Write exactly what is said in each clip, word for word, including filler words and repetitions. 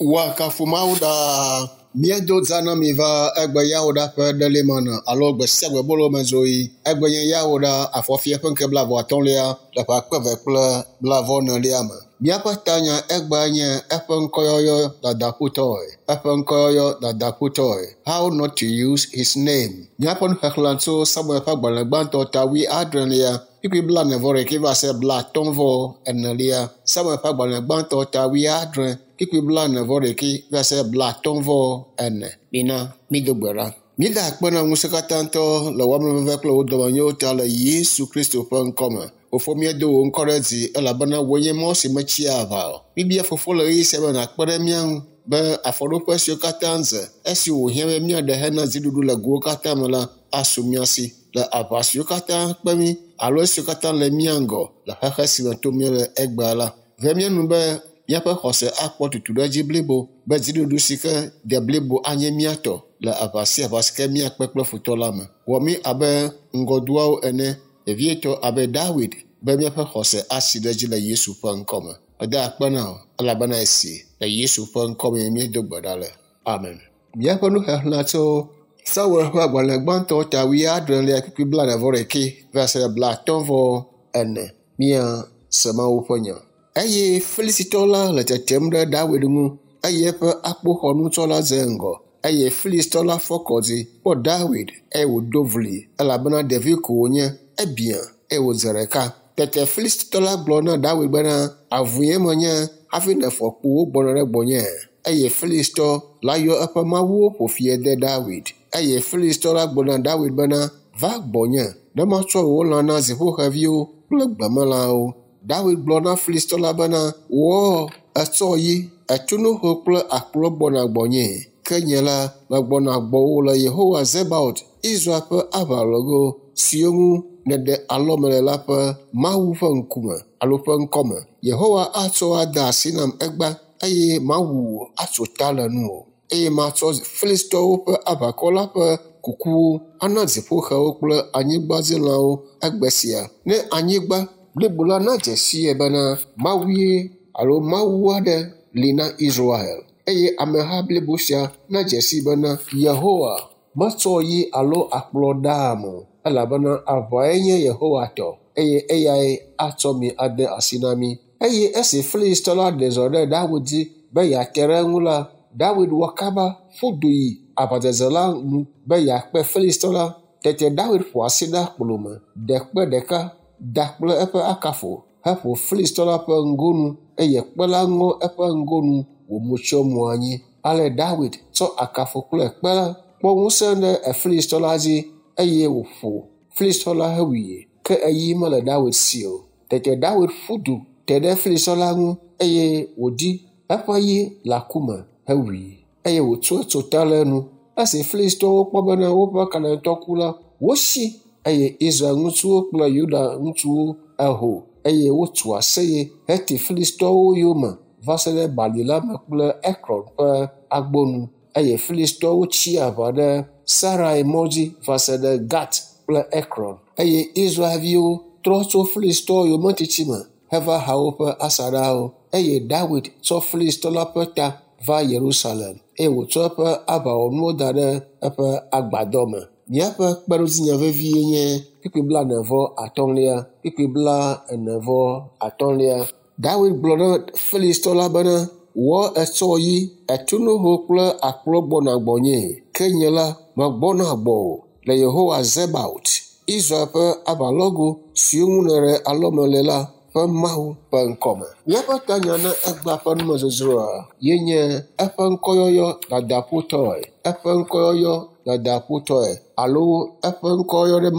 Woakafu Mawu ɖaa. Míedo za na mi va egbe Yawoɖa ƒe ɖelimana alo gbe sia gbe bolomezoɣi. Egbe nye Yawoɖa afɔfia ƒe ŋkeke blaeve atɔ̃lia le ƒe akpe eve kple blaeve-ene me. Míaƒe tanya egbea nye eƒe ŋkɔyɔyɔ dadaƒutɔe. Eƒe ŋkɔyɔyɔ dadaƒutɔe. How not to use his name. Míaƒe nuxexlẽ tso Samuel ƒe agbalẽ gbãtɔ ta wuiadrelia kpukpui blaene vɔ ɖekɛ va se blatɔ̃ vɔ enelia. Samuel ƒe agbalẽ gbãtɔ ta wuiadre kpukpui blaene vɔ ɖekɛ va se blatɔ̃ vɔ ene. Mina mído gbe ɖa. Míeda akpe na ŋusẽkatãtɔ le wò amenuveve kple wò dɔmenyowo ta le Yesu Kristo ƒe ŋkɔme. Fofo míedo wò ŋkɔ ɖe dzi elabena wòe nye mɔ si metsia aʋa o. Míbia fofo le ɣeyiɣi sia me nàkpe ɖe mía ŋu be afɔɖoƒe siwo katã dze esi wòhiã be míaɖe hena dziɖuɖu le gowo katã me la asu mía si le aʋa siwo katã kpe mí alo esiwo katã le mía ŋgɔ le xexe si me tom míele egbea la. Ve mía nu be míaƒe xɔse akpɔ tutu ɖe edzi blibo be dziɖuɖu si ke de blibo anye mía tɔ le aʋa sia aʋa si ke míakpe kple futɔ la me. Wɔ mí abe ŋgɔdoawo ene, vevietɔ abe Dawid be míaƒe xɔse asi ɖe edzi le Yesu ƒe ŋkɔme. Meda akpe na wò elabena esi le Yesu ƒe ŋkɔme míedo gbe ɖa le. Amen. Míaƒe nuxexlẽ tso Samuel ƒe agbalẽ gbãtɔ ta wuiadrelia kpukpui blaene vɔ ɖekɛ va se blatɔ̃ vɔ ene. Míase Mawu ƒe nya. Eye Filistitɔ la le tetem ɖe Dawid ŋu eye eƒe akpoxɔnutsɔla dze ŋgɔ. Eye Filistitɔ la fɔ kɔ dzi kpɔ Dawid eye wòdo vli elabena ɖevi ko wònye, ebiã eye wòdze ɖeka. Tete Filistitɔ la gblɔ na Dawid bena, avue menye hafi nèfɔ kpowo gbɔna ɖe gbɔnye. Eye Filistitɔ la yɔ eƒe mawuwo ƒo fi de Dawid. Eye Filistitɔ la gblɔ na Dawid bena, va gbɔnye ne matsɔ wò lã na dziƒoxeviwo kple gbemelãwo. Dawid gblɔ na Filistitɔ la bena, wò etsɔ yi, etunuho kple akplɔ gbɔna gbɔnye. Ke nye la, megbɔna gbɔwò le Yehowa Zebaot, Israel ƒe aʋalɔgo siwo ŋu nèɖe alɔme le la ƒe Mawu ƒe ŋkume alo ƒe ŋkɔme. Yehowa atsɔ ade asi nam egbea eye mawu wò atso ta le nuwò. Eye matsɔ Filistitɔwo ƒe aʋakɔ la ƒe kukuwo ana dziƒoxewo kple anyigbadzilãwo egbe sia. Ne anyigba blibo la nadze sii bena Mawue alo Mawu aɖe li na Israel. Eye ameha blibo sia nadze sii bena Yehowa metsɔ yi alo akplɔ ɖaam o elabena aʋae nye Yehowa tɔ eye eyae atsɔ mi ade asi na mí. Eye esi Filistitɔ la ɖe zɔ ɖe Dawid dzi be yeate ɖe eŋu la, Dawid wɔ kaba ƒu du yi aʋadzedze la nu be yeakpe Filistitɔ la. Tete Dawid ƒo asi ɖe akplo me, ɖe kpe ɖeka da kple eƒe akafo heƒo Filistitɔ la ƒe ŋgonu eye kpe la ŋɔ eƒe ŋgonu wòmu tsyɔ mo anyi. Ale Dawid tsɔ akafo kple kpe la kpɔ ŋusẽ ɖe Filistitɔ la dzi eye wòƒo Filistitɔ la hewui. Ke eyi mele Dawid si o. Tete Dawid ƒu du te ɖe Filistitɔ la ŋu eye wòdi eƒe yi le aku me hewui eye wòtso etso ta le enu. Esi Filistitɔwo kpɔ bena woƒe kalẽtɔ ku la, wosi eye Israel ŋutsuwo kple Yuda ŋutsuwo eho eye wotso aseye heti Filistitɔwo yome va se ɖe bali la me kple Ekron ƒe agbonu eye Filistitɔwo tsi aʋa ɖe Sarai mɔ dzi va se ɖe Gat kple Ekron. Eye Israelviwo trɔ tso Filistitɔwo yometiti me heva ha woƒe asaɖawo. Eye Dawid tsɔ Filistitɔ la ƒe ta va Yerusalem eye wòtsɔ eƒe aʋawɔnuwo da ɖe eƒe agbadɔ me. Míaƒe kpeɖodzinya vevie nye kpukpui blaene vɔ atɔ̃lia, kpukpui blaene vɔ atɔ̃lia. Dawid gblɔ na Filistitɔ la bena, wò etsɔ yi, etunuho kple akplɔ gbɔna gbɔnye, ke nye la megbɔna gbɔwò le Yehowa Zebaot, Israel ƒe aʋalɔgo siwo ŋu nèɖe alɔme le la ƒe Mawu ƒe ŋkɔme. Míaƒe tanya na egbea ƒe numedzodzroa ye nye eƒe ŋkɔyɔyɔ dadaƒutɔe, eƒe ŋkɔyɔyɔ dadaƒutɔe alo eƒe ŋkɔyɔyɔ ɖe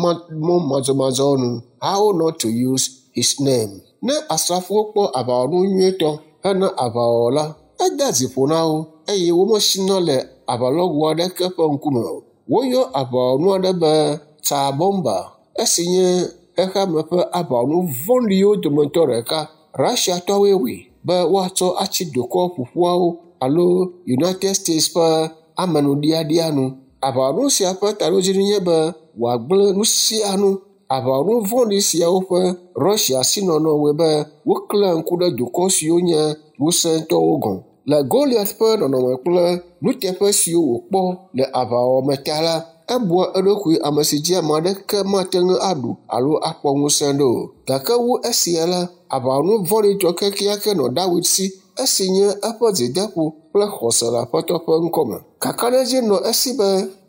mɔ madzɔmadzɔ nu. How not to use his name. Ne asrafowo kpɔ aʋawɔnu nyuietɔ hena aʋawɔwɔ la, edea dzi ƒo na wo eye womesina le aʋalɔgo aɖeke ƒe ŋkume o. Woyɔ aʋawɔnu aɖe be Tsar Bomba, esi nye xexeame ƒe aʋawɔnu vɔ̃ɖiwo dometɔ ɖeka. Russiatɔwoe wɔe be woatsɔ atsi dukɔ ƒoƒuawo alo United States ƒe amenuɖiaɖia nu. Aʋawɔnu sia ƒe taɖodzinu nye be wòagblẽ nu sia nu. Aʋawɔnu vɔ̃ɖi siawo ƒe Russia sinɔnɔ wɔe be woklẽa ŋku ɖe dukɔ siwo nye ŋusẽtɔwo gɔ̃. Le Goliat ƒe nɔnɔme kple nuteƒe siwo wòkpɔ le aʋawɔwɔ me ta la, ebua eɖokui ame si dzi ame aɖeke mate ŋu aɖu alo akpɔ ŋusẽ ɖo o. Gake wu esia la, aʋawɔnu vɔ̃ɖitɔ kekeake nɔ Dawid si, esi nye eƒe dzideƒo kple xɔse le Aƒetɔ ƒe ŋkɔme. Kakaɖedzi nɔ esi be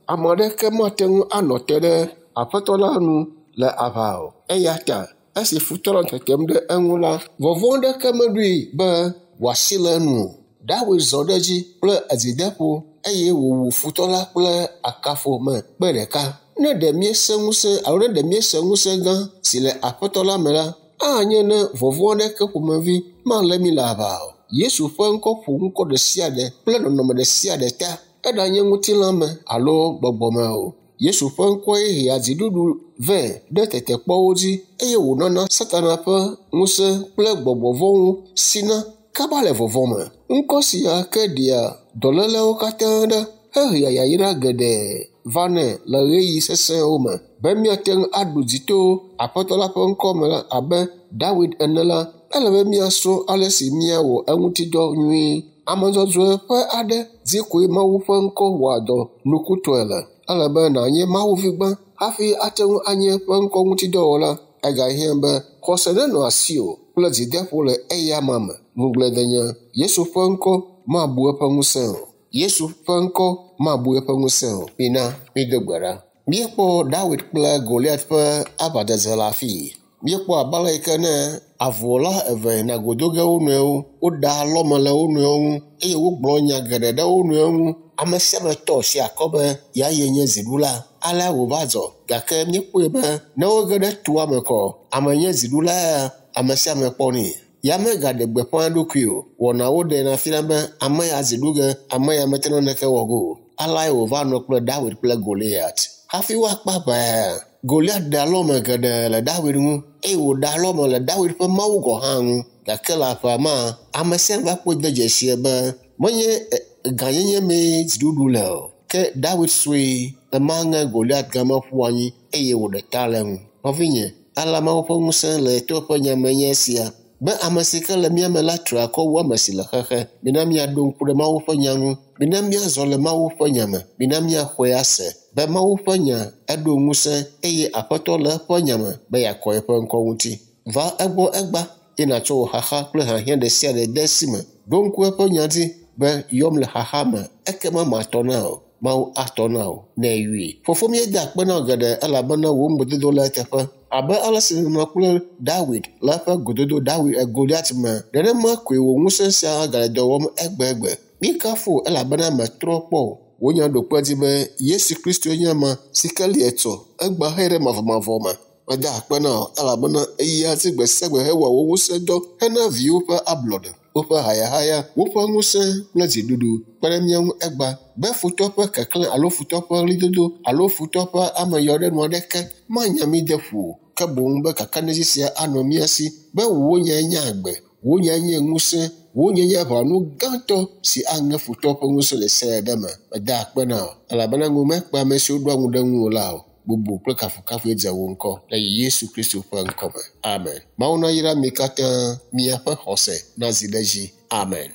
ame aɖeke mate ŋu anɔ te ɖe Aƒetɔ la nu le aʋa o. Eya ta esi futɔ nɔ tetem ɖe eŋu la, vɔvɔ̃ aɖeke meɖoe be wòasi le enu o. Dawid zɔ ɖe edzi kple dzideƒo eye wòwu futɔ la kple akafo me kpe ɖeka. Ne ɖe míese ŋusẽ alo ne ɖe míese ŋusẽ gã si le Aƒetɔ la me la, anye ne vɔvɔ̃ aɖeke ƒomevi malé mí le aʋa o. Yesu ƒe ŋkɔ ƒo ŋkɔ ɖe sia ɖe kple nɔnɔme ɖe sia ɖe ta, eɖanye ŋutilã me alo gbɔgbɔ me o. Yesu ƒe ŋkɔe hea dziɖuɖu vɛ ɖe tetekpɔwo dzi eye wònana Satana ƒe ŋusẽ kple gbɔgbɔ vɔ̃wo sina kaba le vɔvɔ̃ me. Ŋkɔ sia ke ɖea dɔlélewo katã ɖa hehea yayra geɖe vanɛ le ɣeyiɣi sesẽwo me. Be míate ŋu aɖu dzi to Aƒetɔ la ƒe ŋkɔ me la abe Dawid ene la, ele be míasrɔ̃ ale si míawɔ eŋutidɔ nyuie. Ame dzɔdzɔe ƒe aɖe dzi koe Mawu ƒe ŋkɔ wɔa dɔ nukutɔe le. Ele be nànye Mawuvi gbã hafi ate ŋu anye eƒe ŋkɔ ŋutidɔwɔla. Egahiã be xɔse nenɔ asiwò kple dzideƒo le eyama me. Ŋugbledenya, Yesu ƒe ŋkɔ mabu eƒe ŋusẽ o. Yesu ƒe ŋkɔ mabu eƒe ŋusẽ o. Mina mído gbe ɖa. Míekpɔ Dawid kple Goliat ƒe aʋadzedze le afii. Míekpɔ abe ale yi ke ne avuwɔla eve yina go do ge wo nɔewo, woɖe alɔme le wo nɔewo ŋu eye wogblɔ nya geɖe ɖe wo nɔewo ŋu. Ame sia ame tɔ asi akɔ be yeaye nye dziɖula. Alea wòva dzɔ gake míekpɔe be ne woge ɖe toa me kɔ, ame nye dziɖula ya, ame sia ame kpɔnɛ. Ya megaɖe gbeƒã eɖokui o. Wɔnawo ɖena fia be ame ya dzi ɖu ge, ame ya mete naneke wɔ ge o. Aleae wòva nɔ kple Dawid kple Goliat. Hafi woakpe aʋa, Goliat ɖe alɔme geɖe le Dawid ŋu eye wòɖe alɔme le Dawid ƒe Mawu gɔ̃ hã ŋu. Gake le aʋa ma, ame sia ame va kpɔe de dzesie be menye gãnyenye mee dziɖuɖu le o. Ke Dawid sue emaŋe Goliat game ƒu anyi eye wòɖe ta le eŋu. Nɔvinye, alea Mawu ƒe ŋusẽ le to eƒe nya me nye esia be ame si ke le mía me la tra akɔ wu ame si le xexe. Mina míaɖo ŋku ɖe Mawu ƒe nya ŋu. Mina míazɔ le Mawu ƒe nya me. Mina míaxɔe ase be Mawu ƒe nya eɖo ŋusẽ eye Aƒetɔ le eƒe nya me be yeakɔ eƒe ŋkɔ ŋuti. Va egbɔ egba eye nàtsɔ wò xaxa kple hiahiã ɖe sia ɖe de esi me. Ɖo ŋku eƒe nya dzi be yɔm le xaxa me ekema matɔ na wò. Mawu atɔ na wò ne eyɔe. Fofo míeda akpe na wò geɖe elabena wò ŋugbedodo le eteƒe. Abe ale si nènɔ kple Dawid le eƒe gododo Dawid Goliat me, nenema koe wò ŋusẽ sia gale dɔ wɔm egbegbe. Míekafu wò elabena mètrɔ kpɔ o. Wò nya ɖo kpe edzi be Yesu Kristoe nye ame si ke li etsɔ, egbea hee ɖe mavɔmavɔ me. Meda akpe na wò elabena eyia edzi gbe sia gbe hewɔa wò ŋusẽ dɔ hena viwò ƒe ablɔɖe, woƒe hayahaya, woƒe ŋusẽ kple dziɖuɖu kpe ɖe mía ŋu egba be futɔ ƒe keklẽ alo futɔ ƒe ɣlidodo alo futɔ ƒe ameyɔɖenu aɖeke manya mí de ƒu o. Ke boŋ be kakaɖedzi sia anɔ mía si be wò nyae nye agbe, wò nyae nye ŋusẽ, wò nyae nye aʋawɔnu gãtɔ si aŋe futɔ ƒe ŋusẽ ɖe sia ɖe me. Meda akpe na wò elabena ŋu mekpe ame siwo ɖoa ŋu ɖe ŋuwò la o. Bubu kple kafukafue dze wò ŋkɔ le Yesu Kristo ƒe ŋkɔ me. Amen. Mawu nayra mi katã miaƒe xɔse nazi ɖe edzi. Amen.